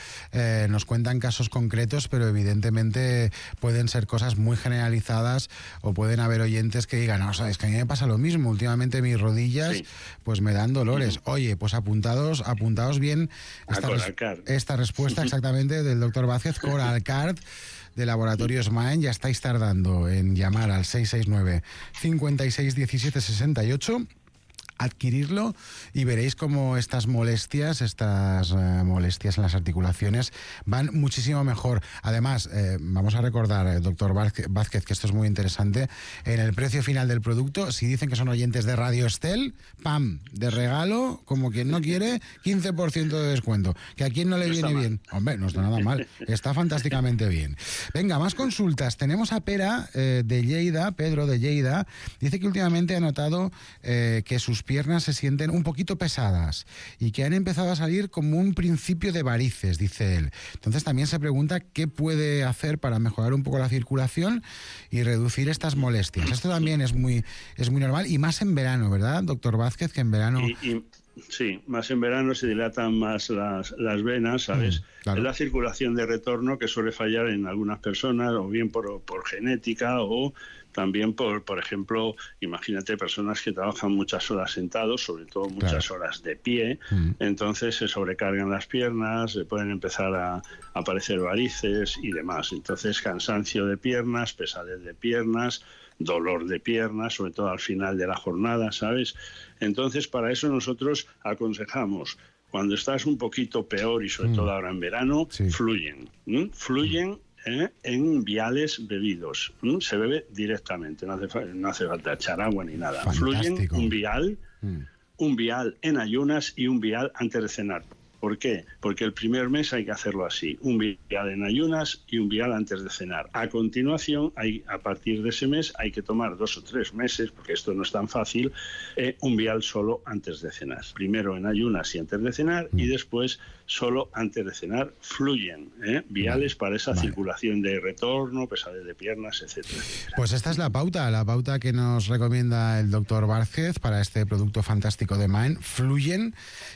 I: nos cuentan casos concretos, pero evidentemente pueden ser cosas muy generalizadas o pueden haber oyentes que digan, no, es que a mí me pasa lo mismo, últimamente mis rodillas pues me dan dolores. Oye, pues apuntados bien esta respuesta exactamente del doctor Vázquez, Coralcar, de Laboratorios Maen. Ya estáis tardando en llamar al 669 56 17 68, adquirirlo y veréis cómo estas molestias en las articulaciones van muchísimo mejor. Además, vamos a recordar, doctor Vázquez, que esto es muy interesante, en el precio final del producto, si dicen que son oyentes de Radio Estel, ¡pam!, de regalo, como quien no quiere, 15% de descuento. Que a quien no le viene bien. Hombre, no está nada mal, está fantásticamente bien. Venga, más consultas. Tenemos a Pedro de Lleida, dice que últimamente ha notado que sus piernas se sienten un poquito pesadas y que han empezado a salir como un principio de varices, dice él. Entonces también se pregunta qué puede hacer para mejorar un poco la circulación y reducir estas molestias. Esto también es muy normal y más en verano, ¿verdad, doctor Vázquez? Que en verano...
J: Sí, más en verano se dilatan más las venas, ¿sabes? Claro. Es la circulación de retorno que suele fallar en algunas personas, o bien por genética o también por ejemplo, imagínate personas que trabajan muchas horas sentados, sobre todo muchas horas de pie, entonces se sobrecargan las piernas, se pueden empezar a aparecer varices y demás. Entonces cansancio de piernas, pesadez de piernas, dolor de piernas, sobre todo al final de la jornada, ¿sabes? Entonces, para eso nosotros aconsejamos, cuando estás un poquito peor y sobre todo ahora en verano, fluyen en viales bebidos. Se bebe directamente, no hace falta echar agua ni nada. Fantástico. Fluyen un vial en ayunas y un vial antes de cenar. ¿Por qué? Porque el primer mes hay que hacerlo así, un vial en ayunas y un vial antes de cenar. A continuación, a partir de ese mes, hay que tomar 2 o 3 meses, porque esto no es tan fácil, un vial solo antes de cenar. Primero en ayunas y antes de cenar, y después solo antes de cenar. Fluyen viales para esa circulación de retorno, pesadez de piernas, etcétera.
I: Pues esta es la pauta que nos recomienda el doctor Vázquez para este producto fantástico de Maen, Fluyen,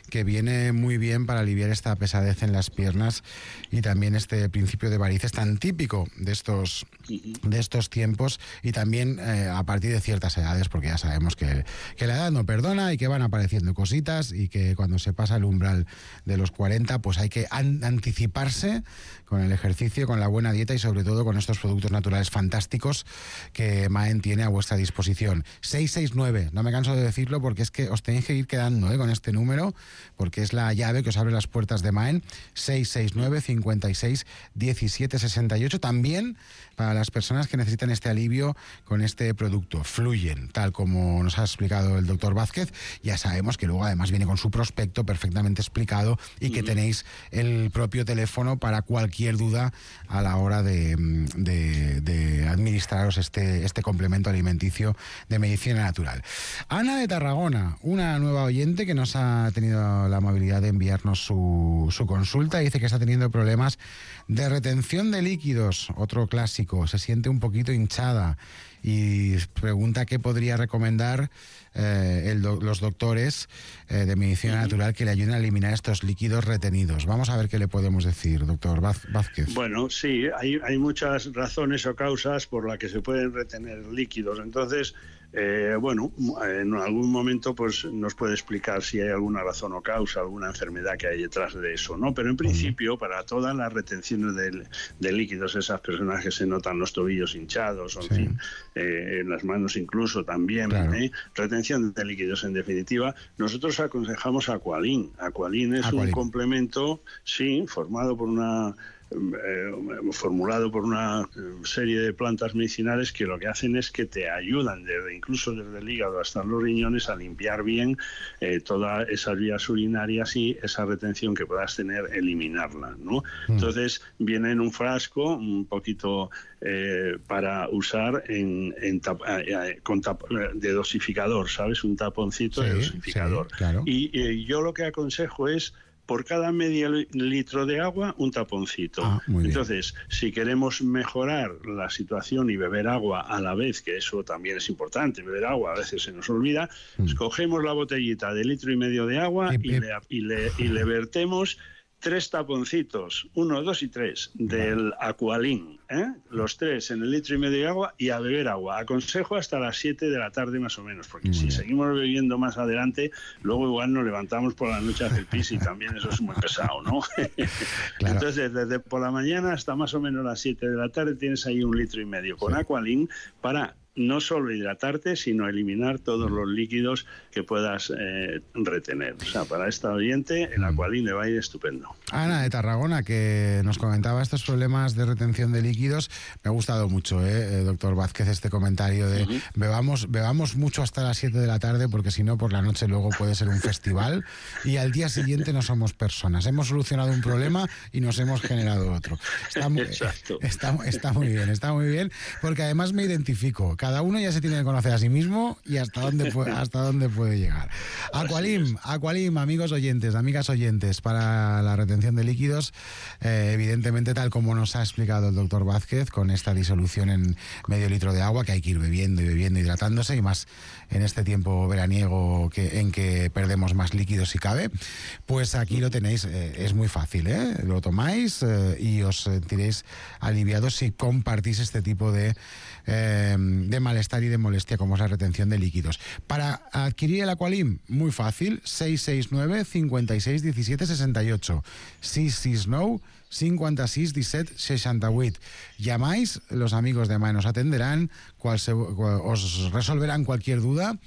I: que viene muy bien para aliviar esta pesadez en las piernas y también este principio de varices tan típico de estos tiempos, y también a partir de ciertas edades, porque ya sabemos que la edad no perdona y que van apareciendo cositas y que cuando se pasa el umbral de los 40 pues hay que anticiparse con el ejercicio, con la buena dieta y sobre todo con estos productos naturales fantásticos que Maen tiene a vuestra disposición. 669, no me canso de decirlo porque es que os tenéis que ir quedando con este número, porque es la llave que os abre las puertas de Maen, 669 56 17 68. También para las personas que necesitan este alivio con este producto. Fluyen, tal como nos ha explicado el doctor Vázquez. Ya sabemos que luego además viene con su prospecto perfectamente explicado y que tenéis el propio teléfono para cualquier duda a la hora de administraros este complemento alimenticio de medicina natural. Ana de Tarragona, una nueva oyente que nos ha tenido la amabilidad de enviarnos su consulta, dice que está teniendo problemas de retención de líquidos, otro clásico, se siente un poquito hinchada y pregunta qué podría recomendar los doctores de medicina natural que le ayuden a eliminar estos líquidos retenidos. Vamos a ver qué le podemos decir, doctor Vázquez.
J: Bueno, sí, hay muchas razones o causas por las que se pueden retener líquidos. Entonces, en algún momento pues nos puede explicar si hay alguna razón o causa, alguna enfermedad que hay detrás de eso, ¿no? Pero en principio, para todas las retenciones de líquidos, esas personas que se notan los tobillos hinchados, o en fin, en las manos incluso también, claro. Retención de líquidos en definitiva, nosotros aconsejamos Aqualin. Aqualin es un complemento, sí, formulado por una serie de plantas medicinales que lo que hacen es que te ayudan incluso desde el hígado hasta los riñones a limpiar bien todas esas vías urinarias y esa retención que puedas tener, eliminarla, ¿no? Entonces viene en un frasco un poquito para usar de dosificador, ¿sabes? Un taponcito de dosificador. Sí, claro. Y yo lo que aconsejo es por cada medio litro de agua, un taponcito. Entonces, si queremos mejorar la situación y beber agua a la vez, que eso también es importante, beber agua a veces se nos olvida, cogemos la botellita de 1,5 litros de agua y le vertemos 3 taponcitos, 1, 2 y 3, del Aqualin, los 3 en 1,5 litros de agua y a beber agua. Aconsejo hasta las 7 de la tarde más o menos, porque si seguimos bebiendo más adelante, luego igual nos levantamos por la noche a hacer pis y también eso es muy pesado, ¿no? Claro. Entonces, desde por la mañana hasta más o menos las 7 de la tarde tienes ahí 1,5 litros con Aqualin para no solo hidratarte, sino eliminar todos los líquidos que puedas retener. O sea, para esta oyente, el Aqualin le va a ir estupendo.
I: Ana de Tarragona, que nos comentaba estos problemas de retención de líquidos. Me ha gustado mucho, doctor Vázquez, este comentario de bebamos mucho hasta las 7 de la tarde, porque si no, por la noche luego puede ser un festival y al día siguiente no somos personas. Hemos solucionado un problema y nos hemos generado otro. Está muy bien, porque además me identifico. Cada uno ya se tiene que conocer a sí mismo y hasta dónde puede llegar. Aqualin, amigos oyentes, amigas oyentes, para la retención de líquidos, evidentemente tal como nos ha explicado el doctor Vázquez, con esta disolución en medio litro de agua, que hay que ir bebiendo, hidratándose, y más en este tiempo veraniego en que perdemos más líquidos si cabe, pues aquí lo tenéis, es muy fácil, lo tomáis y os sentiréis aliviados si compartís este tipo de malestar y de molestia como es la retención de líquidos. Para adquirir el Aqualin, muy fácil, 669 56 17 68, 669 56 17 68. Llamáis, los amigos de Maen os atenderán, os resolverán cualquier duda,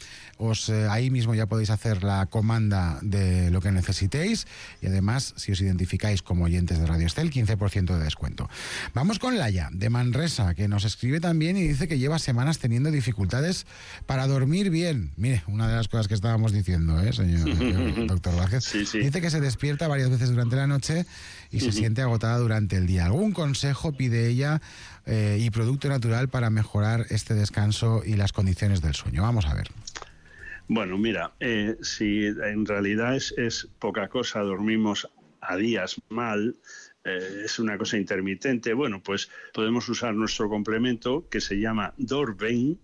I: ahí mismo ya podéis hacer la comanda de lo que necesitéis, y además, si os identificáis como oyentes de Radio Estel, 15% de descuento. Vamos con Laia, de Manresa, que nos escribe también y dice que lleva semanas teniendo dificultades para dormir bien. Mire, una de las cosas que estábamos diciendo, señor doctor Vázquez. Sí. Dice que se despierta varias veces durante la noche y se siente agotada durante el día. ¿Algún consejo pide ella y producto natural para mejorar este descanso y las condiciones del sueño? Vamos a ver.
J: Bueno, mira, si en realidad es poca cosa, dormimos a días mal, es una cosa intermitente, bueno, pues podemos usar nuestro complemento que se llama Dorven,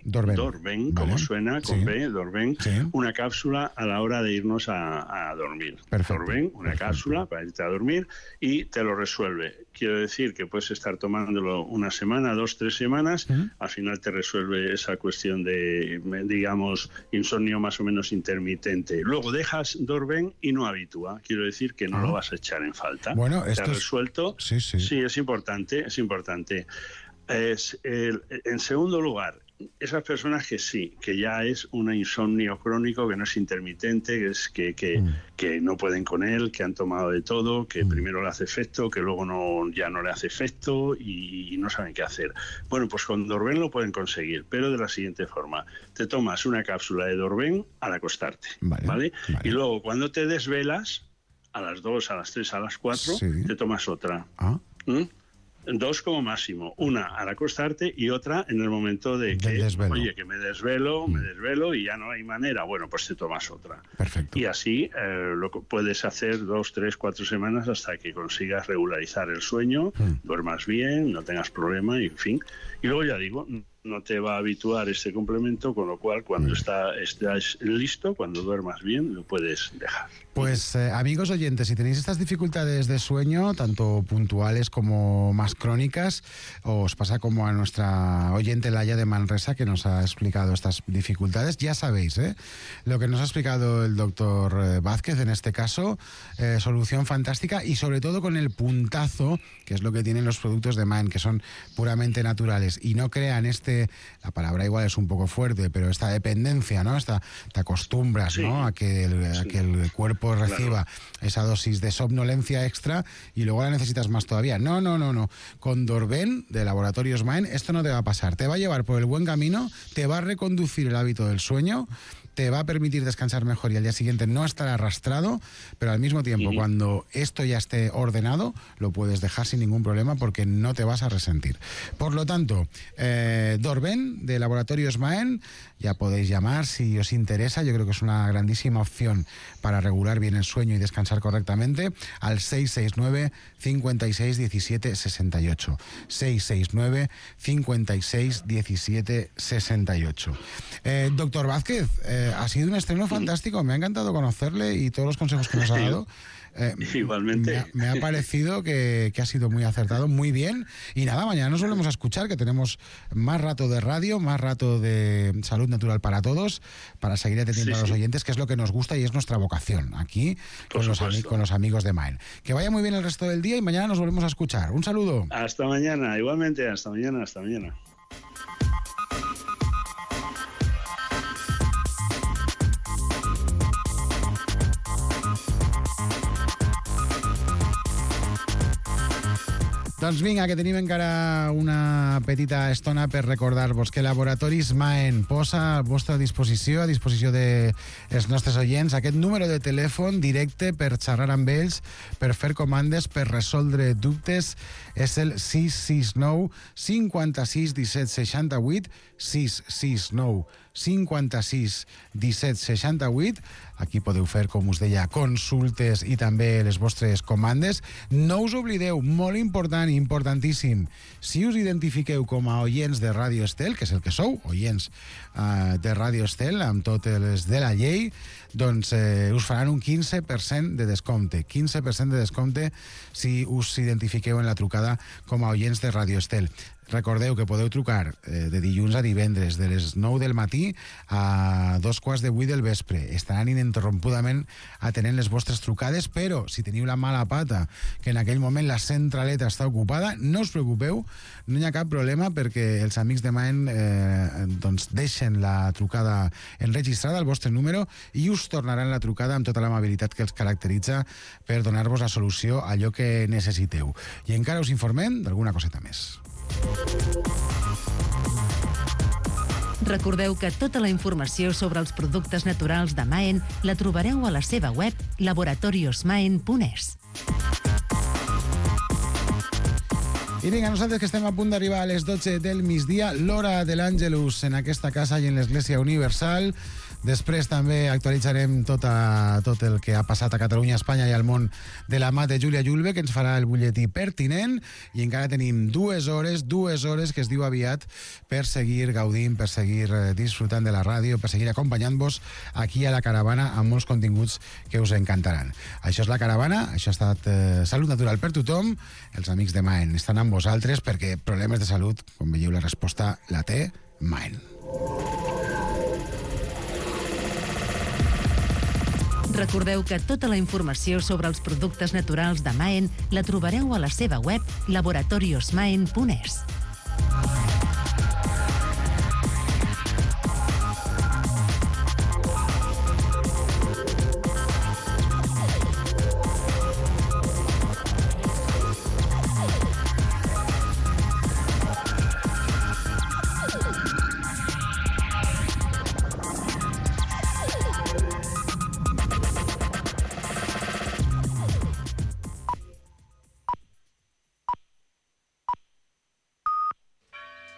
J: como suena, con B, Dorven, una cápsula a la hora de irnos a dormir. Dorven, una cápsula para irte a dormir y te lo resuelve. Quiero decir que puedes estar tomándolo una semana, 2, 3 semanas, al final te resuelve esa cuestión de, digamos, insomnio más o menos intermitente. Luego dejas Dorven y no habitúa, quiero decir que no lo vas a echar en falta.
I: Bueno,
J: te ha resuelto. Sí, es importante. En segundo lugar, esas personas que sí, que ya es un insomnio crónico, que no es intermitente, que no pueden con él, que han tomado de todo, que primero le hace efecto, que luego ya no le hace efecto y no saben qué hacer. Bueno, pues con Dorben lo pueden conseguir, pero de la siguiente forma. Te tomas una cápsula de Dorben al acostarte, ¿vale? Y luego cuando te desvelas, a las 2, a las 3, a las 4, te tomas otra. Dos como máximo, una al acostarte y otra en el momento de que, oye, que me desvelo y ya no hay manera, bueno, pues te tomas otra.
I: Perfecto.
J: Y así lo puedes hacer 2, 3, 4 semanas hasta que consigas regularizar el sueño, duermas bien, no tengas problema y en fin. Y luego ya digo, no te va a habituar este complemento, con lo cual cuando estás listo, cuando duermas bien, lo puedes dejar.
I: Pues amigos oyentes, si tenéis estas dificultades de sueño, tanto puntuales como más crónicas, os pasa como a nuestra oyente Laia de Manresa, que nos ha explicado estas dificultades, ya sabéis, lo que nos ha explicado el doctor Vázquez en este caso, solución fantástica y sobre todo con el puntazo, que es lo que tienen los productos de Mind, que son puramente naturales y no crean la palabra igual es un poco fuerte, pero esta dependencia, ¿no? Te acostumbras, ¿no? a que el cuerpo reciba esa dosis de somnolencia extra y luego la necesitas más todavía. No. Con Dorben de Laboratorios Mind esto no te va a pasar. Te va a llevar por el buen camino, te va a reconducir el hábito del sueño, te va a permitir descansar mejor y al día siguiente no estar arrastrado, pero al mismo tiempo, cuando esto ya esté ordenado, lo puedes dejar sin ningún problema porque no te vas a resentir. Por lo tanto, Dorben de Laboratorios Maen, ya podéis llamar si os interesa, yo creo que es una grandísima opción para regular bien el sueño y descansar correctamente, al 669 56 17 68. 669 56 17 68. Doctor Vázquez, ha sido un estreno fantástico, me ha encantado conocerle y todos los consejos que nos ha dado.
J: Igualmente.
I: Me ha parecido que ha sido muy acertado, muy bien. Y nada, mañana nos volvemos a escuchar, que tenemos más rato de radio, más rato de salud natural para todos, para seguir atendiendo a los oyentes, que es lo que nos gusta y es nuestra vocación aquí con los amigos de Maen. Que vaya muy bien el resto del día y mañana nos volvemos a escuchar. Un saludo.
J: Hasta mañana, igualmente, hasta mañana.
I: Doncs vinga, que tenim encara una petita estona per recordar-vos que Laboratoris Maen posa a vostra disposició, a disposició dels nostres oients, aquest número de telèfon directe per xerrar amb ells, per fer comandes, per resoldre dubtes. És el 669 56 17 68, 669 56 17 68. Aquí podeu fer, com us deia, consultes i també les vostres comandes. No us oblideu, molt important, importantíssim, si us identifiqueu com a oients de Ràdio Estel, que és el que sou, oients de Ràdio Estel, amb totes les de la llei, doncs us faran un 15% de descompte. 15% de descompte si us identifiqueu en la trucada com a oients de Ràdio Estel. Recordeu que podeu trucar de dilluns a divendres, de les 9 del matí a 2:15 del vespre. Estaran ininterrompudament atenent les vostres trucades, però si teniu la mala pata que en aquell moment la centraleta està ocupada, no us preocupeu, no hi ha cap problema perquè els amics de Maen doncs deixen la trucada enregistrada al vostre número i us tornaran la trucada amb tota l'amabilitat que els caracteritza per donar-vos la solució a allò que necessiteu. I encara us informem d'alguna coseta més.
H: Recordeu que tota la informació sobre els productes naturals de Maen la trobareu a la seva web laboratoriosmaen.es.
I: I vinga, nosaltres que estem a punt d'arribar a les 12 del migdia, l'hora de l'Àngelus en aquesta casa i en l'Església Universal. Després també actualitzarem tot el que ha passat a Catalunya, Espanya i al món de la mà de Júlia Julve, que ens farà el butlletí pertinent, i encara tenim 2 hores que es diu aviat per seguir gaudint, per seguir disfrutant de la ràdio, per seguir acompanyant-vos aquí a la caravana amb molts continguts que us encantaran. Això és la caravana, això ha estat Salut Natural per tothom. Els amics de Maen estan amb vosaltres perquè problemes de salut, com veieu, la resposta la té Maen.
H: Recordeu que tota la informació sobre els productes naturals de Maen la trobareu a la seva web laboratoriosmaen.es.